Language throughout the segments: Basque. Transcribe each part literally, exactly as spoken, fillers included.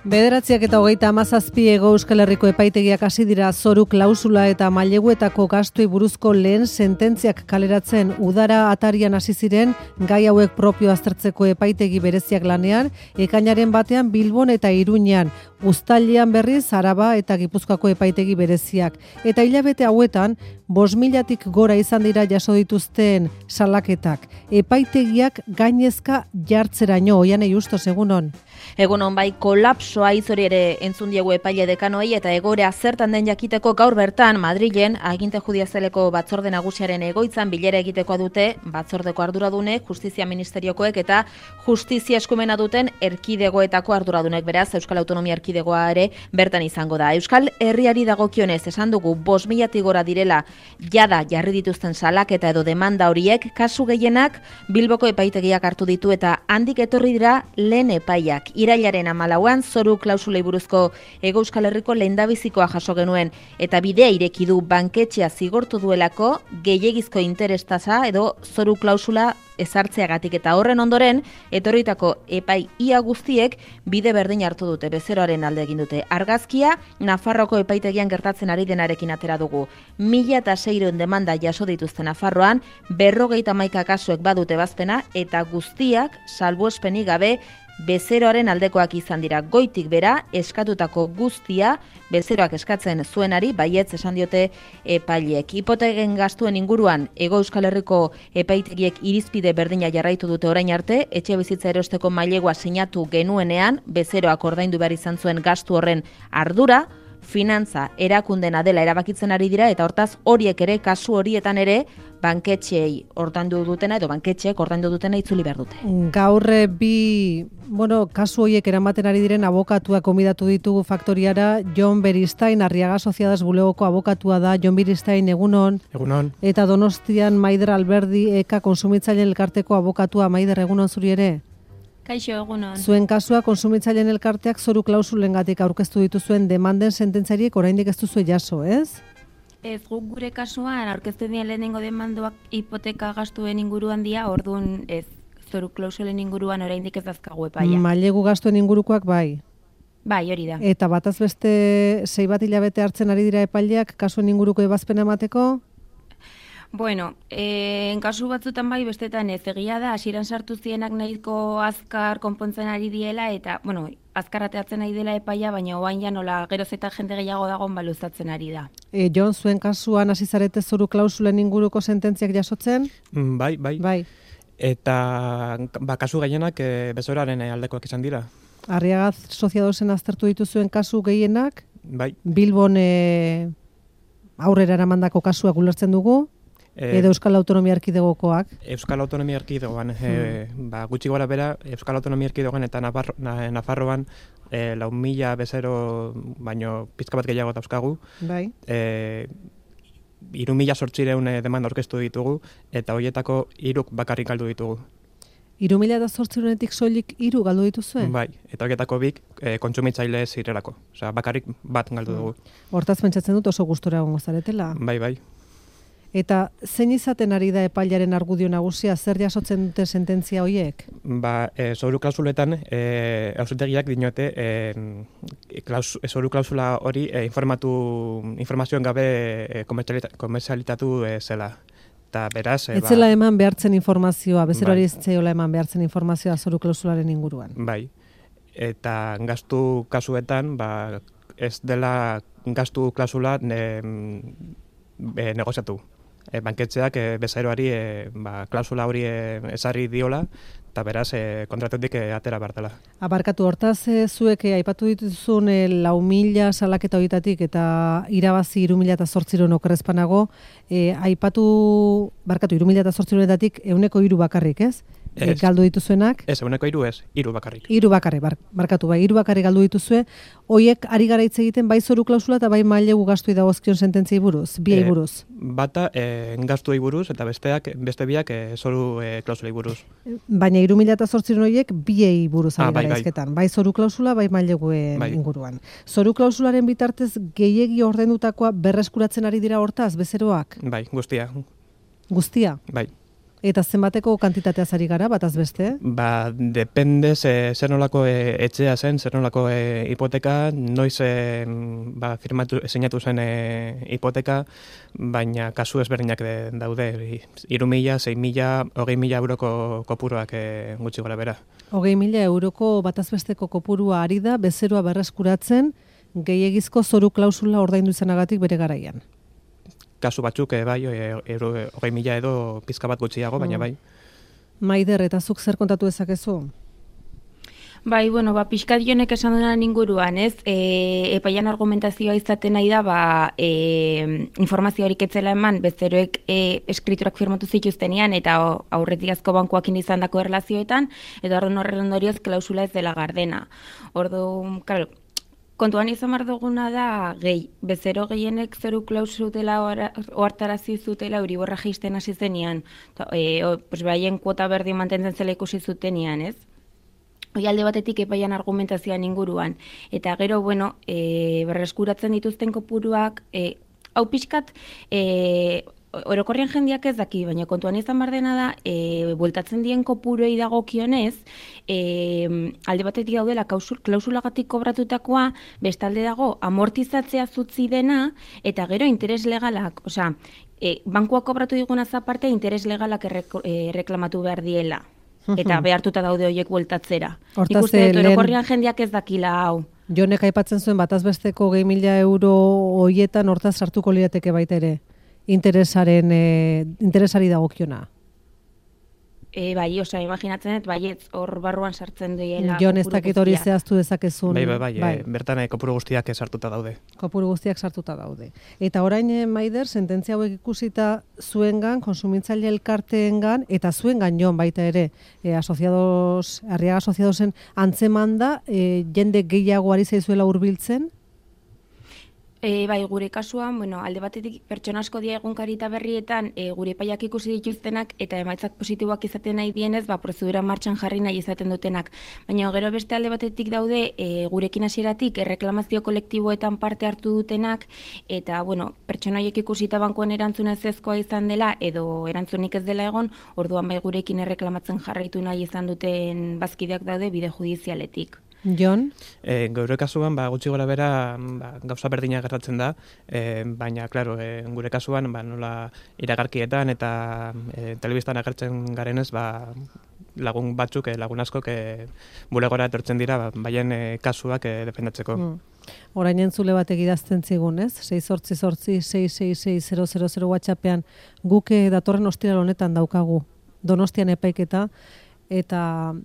Bederatziak eta hogeita hamazazpi Hego Euskal Herriko epaitegiak hasi dira zoru klausula eta maileguetako gastuei buruzko lehen sententziak kaleratzen. Udara atarian hasi ziren gai hauek propio aztertzeko epaitegi bereziak lanean, ekainaren batean Bilbon eta Iruñan, uztailean berriz Araba eta Gipuzkoako epaitegi bereziak. Eta hilabete hauetan, bost milatik gora izan dira jaso dituzten salaketak. Epaitegiak gainezka jartzeraino, Oianei Justos, egunon. Egunon bai, kolapsoa izori ere entzun diegu epaile dekanoei eta egoera zertan den jakiteko gaur bertan Madrilen aginte judizialeko batzorde nagusiaren egoitzan bilera egitekoa dute batzordeko arduradunek, justizia ministeriokoek eta justizia eskumena duten erkidegoetako arduradunek, beraz Euskal Autonomia Erkidegoa ere bertan izango da. Euskal Herriari dagokionez esan dugu bost milatik gora direla jada jarri dituzten salaketa edo demanda horiek, kasu gehienak Bilboko epaitegiak hartu ditu eta handik etorri dira lehen epaiak. Irailaren hamalauan zoru klausulei buruzko Hego Euskal Herriko lehendabizikoa jaso genuen eta bidea ireki du banketxea zigortu duelako gehiegizko interestasa edo zoru klausula ezartzeagatik eta horren ondoren etorritako epai ia guztiek bide berdin hartu dute, bezeroaren alde egin dute. Argazkia Nafarroako epaitegian gertatzen ari denarekin atera dugu. Mila eta seiehun demanda jaso dituzte Nafarroan, berrogeita hamaika kasuek badute bazpena eta guztiak salbuespenik gabe bezeroaren aldekoak izan dira. Goitik bera eskatutako guztia bezeroak eskatzen zuenari baietz esan diote epaileek. Hipoteken gastuen inguruan Hego Euskal Herriko epaitegiek irizpide berdina jarraitu dute orain arte, etxe bizitza erosteko mailegua sinatu genuenean bezeroak ordaindu behar izan zuen gastu horren ardura, finantza erakundena dela erabakitzen ari dira eta hortaz horiek ere kasu horietan ere banketxeei ordaindu dutena edo banketxeek ordaindu dutena itzuli behar dute. Gaur bi, bueno, kasu horiek eramaten ari diren abokatuak konbidatu ditugu faktoriara. Jon Beristain, Arriaga Sociedades bulegoko abokatua da. Jon Beristain, egunon. Egunon. Eta Donostian Maider Alberdi, Eka Kontsumitzaileen elkarteko abokatua. Maider, egunon zuri ere? Kaixo, egunon. Zuen kasua Kontsumitzaileen elkarteak zoru klausulengatik aurkeztu dituzuen demanden sententzariek oraindik ez duzue jaso, ez? Ez, guk gure kasuan aurkeztu dien lehenengo demandoak hipoteka gastuen inguruan dira, orduan ez, zoru klausulen inguruan oraindik ez dazkagu epaia. Mailegu gastuen ingurukoak bai. Bai, hori da. Eta bataz beste sei bat hilabete hartzen ari dira epaileak kasuen inguruko ebazpena emateko? Bueno, eh, en kasu batzutan bai, bestetan ez, egia da, hasieran sartu zienak nahiko azkar konpontzen ari diela, eta, bueno, azkar ateatzen ari dela epaia, baina oain ja nola geroz eta jende gehiago dagoen baluzatzen ari da. E, Jon, zuen kasuan hasi zarete zoru klausulen inguruko sententziak jasotzen? Mm, bai, bai. Bai. Eta ba, kasu gehienak e, bezoraren aldekoak izan dira. Arriaga Sociedadosen aztertu dituzuen kasu gehienak? Bai. Bilbon e, aurrera eramandako kasuak ulertzen dugu? Edo Euskal Autonomia Erkidegokoak? Euskal Autonomia Erkidegoan, hmm. e, ba, gutxi gora bera, Euskal Autonomia Erkidegoan eta Nafarro, na, Nafarroan e, lau mila bezero, baino pizka bat gehiago dauzkagu. Bai. E, iru mila sortzireun demanda orkestu ditugu, eta horietako hiruk bakarrik galdu ditugu. Iru mila eta sortzirenetik soilik hiru galdu dituzuen? Bai, eta horietako bik e, kontsumitzaile zirelako. Osea, bakarrik bat galdu dugu. Hortaz pentsatzen dut oso gustura egongo zaretela? Bai, bai. Eta zein izaten ari da epailaren argudio nagusia, zer jasotzen dute sententzia horiek? Ba, e, zoru klausuletan, e, auzitegiak dinote, e, klaus, zoru klausula hori e, informatu, informazioen gabe e, komerzialitatu e, zela. Eta beraz... E, ez zela eman behartzen informazioa, bezeroari bai. Ez zeola eman behartzen informazioa zoru klausularen inguruan. Bai, eta gastu kasuetan, ba, ez dela gastu klausula ne, e, negoziatu. E, banketxeak e, bezeroari e, ba, klausula hori e, ezarri diola, eta beraz e, kontratetik e, atera bartela. Abarkatu, hortaz e, zuek e, aipatu dituzun e, lau mila salaketa horietatik eta irabazi iru mila eta zortziron okerrezpanago, e, aipatu, barkatu, iru mila eta zortzironetatik euneko hiru bakarrik, ez? E, galdu dituzuenak? Ez, euneko hiru ez, hiru bakarrik. Hiru bakarrik, bar, barkatu, bai, hiru bakarrik galdu dituzue, hoiek ari gara hitz egiten bai zoru klausula eta bai mailegu gastuei dagozkion sententziei buruz, biei buruz. E, bata e, gastuei buruz eta besteak beste biak e, zoru e, klausulei buruz. Baina hiru mila eta zortziron horiek biei buruz ari ah, bai, gara izketan, bai zoru klausula, bai maileguen bai. Inguruan. Zoru klausularen bitartez gehiegi ordendutakoa berreskuratzen ari dira hortaz, bezeroak? Bai, guztia. Guztia? Bai. Eta zenbateko kantitateaz ari gara, bataz beste? Ba, depende ze, zer nolako e, etxea zen, zer nolako e, hipoteka, noiz e, ba, firmatu, sinatu zen e, hipoteka, baina kasu ezberdinak de, daude. Hiru mila, sei mila, hogei mila euroko kopuruak e, gutxi gora bera. Hogei mila euroko batazbesteko kopurua ari da, bezeroa berreskuratzen, gehiegizko zoru klausula ordaindu izanagatik bere garaian. Kasu batzuk, e, bai, e, euro, hogei mila edo pizka bat gutxiago, baina bai. Maider, eta zuk zer kontatu dezakezu? Bai, bueno, ba, pixkat jonek esan duenan inguruan, ez? E, epaian argumentazioa izaten nahi da, ba, e, informazio horik etzela eman, bezeroek e, eskriturak firmatu zituztenean, eta aurretik asko bankuakin izan dako erlazioetan, eta horren horren ondorioz klausula ez dela gardena. Ordu, claro, kontuan izan behar duguna da, gehi, bezero gehienek zoru klausutela ohartarazi zutela Euriborra jaisten hasi zenean, e, o, pues, baien kuota berdin mantentzen zela ikusi zutenean, ez? Hoi alde batetik epaian argumentazioan inguruan. Eta gero, bueno, e, berreskuratzen dituzten kopuruak, e, hau pixkat, e, orokorrian jendeak ez daki, baina kontuan izan behar dena da, e, bueltatzen dien kopuruei dagokionez, e, alde batetik daudela klausulagatik kobratutakoa, bestalde dago amortizatzea zutzi dena, eta gero interes legalak, osea, e, bankuak kobratu digunaz aparte, interes legalak errek, e, reklamatu behar diela. Eta behartuta daude horiek bueltatzera. Nik uste dut, orokorrian jendeak ez dakila hau. Jonek aipatzen zuen batazbesteko gehi mila euro hoietan hortaz sartuko lirateke baita ere. Interesaren, e, interesari dagokiona. E, bai, osea, imaginatzen dut, baietz hor barruan sartzen duela. Jon, ez dakit hori zehaztu dezakezun. Bai, bai, bai, bai. E, bertan e, kopuru guztiak sartuta daude. Kopuru guztiak sartuta daude. Eta orain, e, Maider, sententzia hauek ikusita zuengan, konsumitzaile elkarteengan, eta zuengan Jon baita ere, e, asociados, Arriaga Asociadosen antzeman da, e, jende gehiago ari zaizuela hurbiltzen? E, bai, gure kasuan, bueno, alde batetik pertsona asko dia egunkarita berrietan e, gure epaiak ikusi dituztenak eta emaitzak positiboak izaten nahi dienez, ba, prozedura martxan jarri nahi izaten dutenak. Baina gero beste alde batetik daude e, gurekin hasieratik erreklamazio kolektiboetan parte hartu dutenak eta, bueno, pertsona horiek ikusita bankuan erantzuna ezezkoa izan dela edo erantzunik ez dela egon, orduan bai gurekin erreklamatzen jarraitu nahi izan duten bazkideak daude bide judizialetik. Jon? E, Gaur kasuan, ba, gutxi gora bera ba, gauza berdina gertatzen da, e, baina, klaro, e, gure kasuan, ba, nola iragarkietan eta e, telebistan agertzen garenez, ba, lagun batzuk, e, lagun askok, e, bulegora etortzen dira, ba, baien e, kasuak e, defendatzeko. Mm. Orain entzule bat egidazten zigun, ez? sei zortzi zortzi sei sei sei zero zero zero WhatsAppean guke datorren ostiral honetan daukagu Donostian epaiketa, eta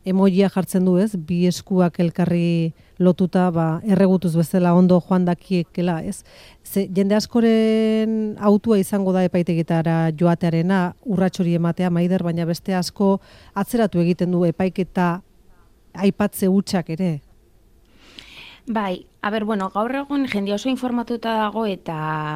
emojia jartzen du, ez? Bi eskuak elkarri lotuta, ba, erregutuz bezala ondo joan dakiekela, ez? Ze, jende askoren autua izango da epaitegitara joatearena, urrats hori ematea, Maider, baina beste asko atzeratu egiten du epaiketa aipatze hutsak ere. Bai, a ber, bueno, gaur egun jende oso informatuta dago eta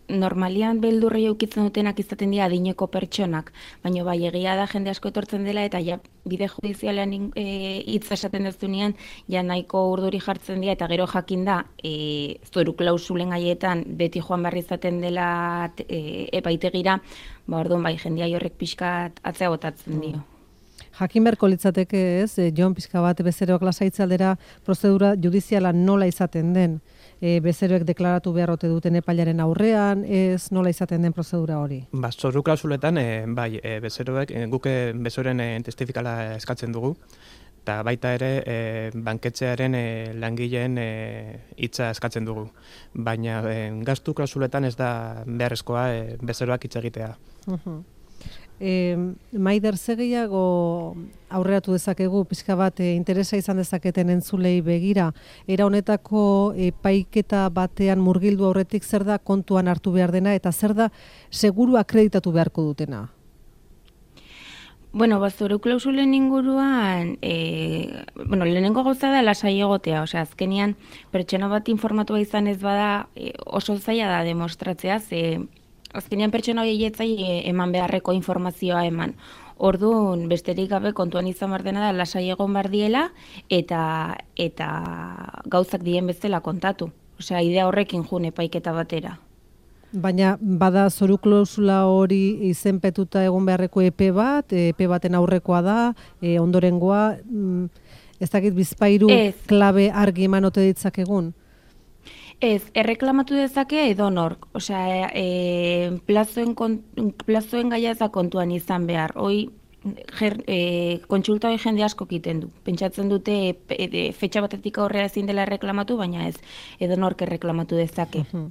normalian beldurri eukitzen dutenak izaten dira adineko pertsonak, baina bai egia da jende asko etortzen dela eta ja bide judizialean e, hitz esaten dezunean ja nahiko urduri jartzen dira eta gero jakin da e, zoru klausulen gaietan beti joan behar izaten dela e, epaitegira, ba orduan bai jendea horrek pixkat atzea botatzen dio. Jakin beharko litzateke, ez, Jon, pixka bat bezeroak lasaitze aldera prozedura judiziala nola izaten den, e, bezeroek deklaratu behar ote duten epailaren aurrean, ez nola izaten den prozedura hori? Ba, zoru klausuletan, e, bai, e, bezeroek, e, guke bezeroen e, testifikala eskatzen dugu, eta baita ere e, banketxearen e, langileen hitza e, eskatzen dugu. Baina e, gastu klausuletan ez da beharrezkoa e, bezeroak hitz egitea. Uh-huh. E, Maider, ze gehiago aurreratu dezakegu, pixka bat e, interesa izan dezaketen entzulei begira, era honetako epaiketa batean murgildu aurretik zer da kontuan hartu behar dena eta zer da seguru akreditatu beharko dutena? Bueno, bazoru klausulen inguruan, e, bueno, lehenengo gauza da lasai egotea, osea, azkenean pertsona bat informatua izan ez bada e, oso zaila da demostratzea, ze azkenean pertsona horietzai eman beharreko informazioa eman. Orduan, besterik gabe kontuan izan behar dena da lasai egon behar diela eta, eta gauzak dien bezala kontatu. Osea, idea horrekin jun epaiketa batera. Baina bada zoru klausula hori izenpetuta egon beharreko epe bat, epe baten aurrekoa da, e, ondorengoa, mm, ez dakit bizpairu klabe argi eman ote ditzakegun? Ez, erreklamatu dezake edonork, osea, e, plazoen, kon, plazoen gaia ez da kontuan izan behar, hoi Ger, e, kontsulta hori jende asko egiten du. Pentsatzen dute e, e, fetxa batetik aurrera ezin dela erreklamatu, baina ez, edonork erreklamatu dezake. Uh-huh.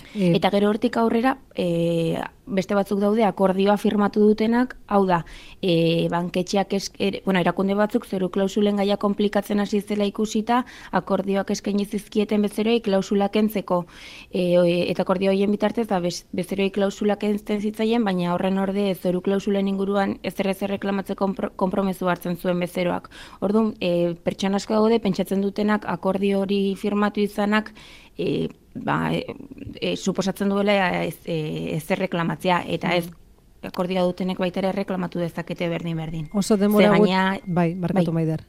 E... Eta gero hortik aurrera, e, beste batzuk daude akordioa firmatu dutenak, hau da, e, banketxeak, esk, er, bueno, erakunde batzuk zoru klausulen gaia komplikatzen hasi zela ikusita, akordioak eskaini zizkieten bezeroi klausula kentzeko, e, eta akordio horien bitartez, da, bez, bezeroi klausula kentzen zitzaien, baina horren orde zoru klausulen inguruan ez errez erreklamatzeko konpromezu hartzen zuen bezeroak. Orduan, e, pertsona asko daude, pentsatzen dutenak akordio hori firmatu izanak, e, ba, e, e, suposatzen duela ez, e, ez erreklamatzea, eta ez akordioa dutenek baita ere reklamatu dezakete berdin-berdin. Oso denbora gut, bai, barkatu bai. Maider.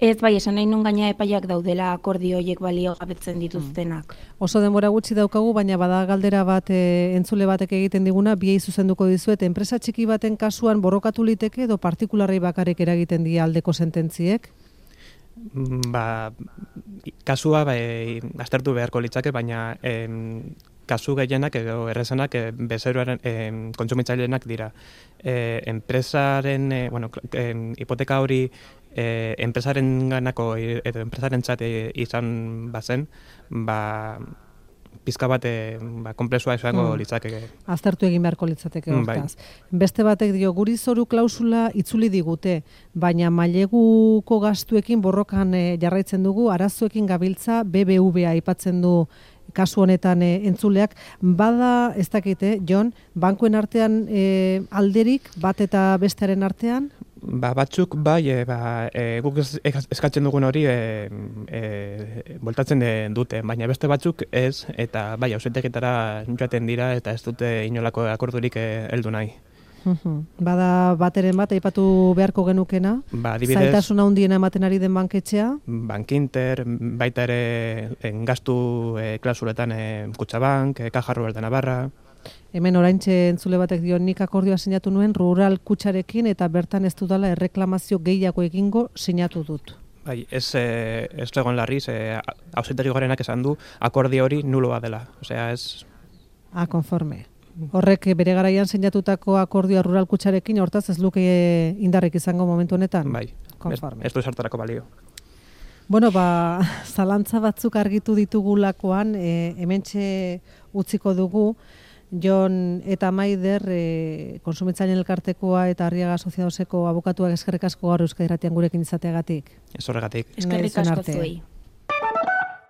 Ez, bai, esan nahi nun gaina epaiak daudela akordio horiek balio gabetzen dituztenak. Mm. Oso denbora gutxi daukagu, baina bada galdera bat e, entzule batek egiten diguna, biei zuzenduko dizuet, enpresa txiki baten kasuan borrokatu liteke edo partikularrei bakarrik eragiten die aldeko sententziek? Ba, kasua ba, e, aztertu beharko litzake, baina em, kasu gehienak edo errezenak e, bezeroaren e, kontsumitzailenak dira. E, enpresaren, e, bueno, e, hipoteka hori e, enpresaren ganako edo enpresaren txate izan bazen, ba, pizka bat e, ba, komplexua izango mm. litzateke. Aztertu egin beharko litzateke hortaz. Mm, bai. Beste batek dio, guri zoru klausula itzuli digute, baina maileguko gastuekin borrokan e, jarraitzen dugu, arazoekin gabiltza B B V A aipatzen du kasu honetan e, entzuleak. Bada, ez dakite, Jon, bankuen artean e, alderik, bat eta bestearen artean? Ba, batzuk bai, e, ba, e, guk eskatzen dugun hori e, e, voltatzen dute, baina beste batzuk ez, eta bai, auzitegitara joaten dira eta ez dute inolako akordurik heldu nahi. Uhum. Bada bateren bat, aipatu beharko genukena, ba, adibidez, zailtasuna handiena ematen ari den banketxea? Bankinter, baita ere en, gastu e, klausuletan e, Kutxabank, e, Caja Rural de Navarra. Hemen oraintxe entzule batek dio, nik akordioa sinatu nuen rural kutxarekin eta bertan ez dudala erreklamazio gehiago egingo sinatu dut. Bai, ez, e, ez egon larriz, e, auzitegi gorenak esan du akordio hori nuloa dela. Osea, ez... Ah, konforme. Horrek bere garaian sinatutako akordioa rural kutxarekin, hortaz ez luke indarrik izango momentu honetan? Bai, konforme. Ez, ez du sartarako balio. Bueno, ba, zalantza batzuk argitu ditugulakoan, e, hementxe utziko dugu, Jon eta Maider, e, Kontsumitzaileen Elkartekoa eta Arriaga Asociadoseko abokatuak eskerrik asko gaur Euskadi Irratian gurekin izateagatik. Ez horregatik. Eskerrik asko zuei.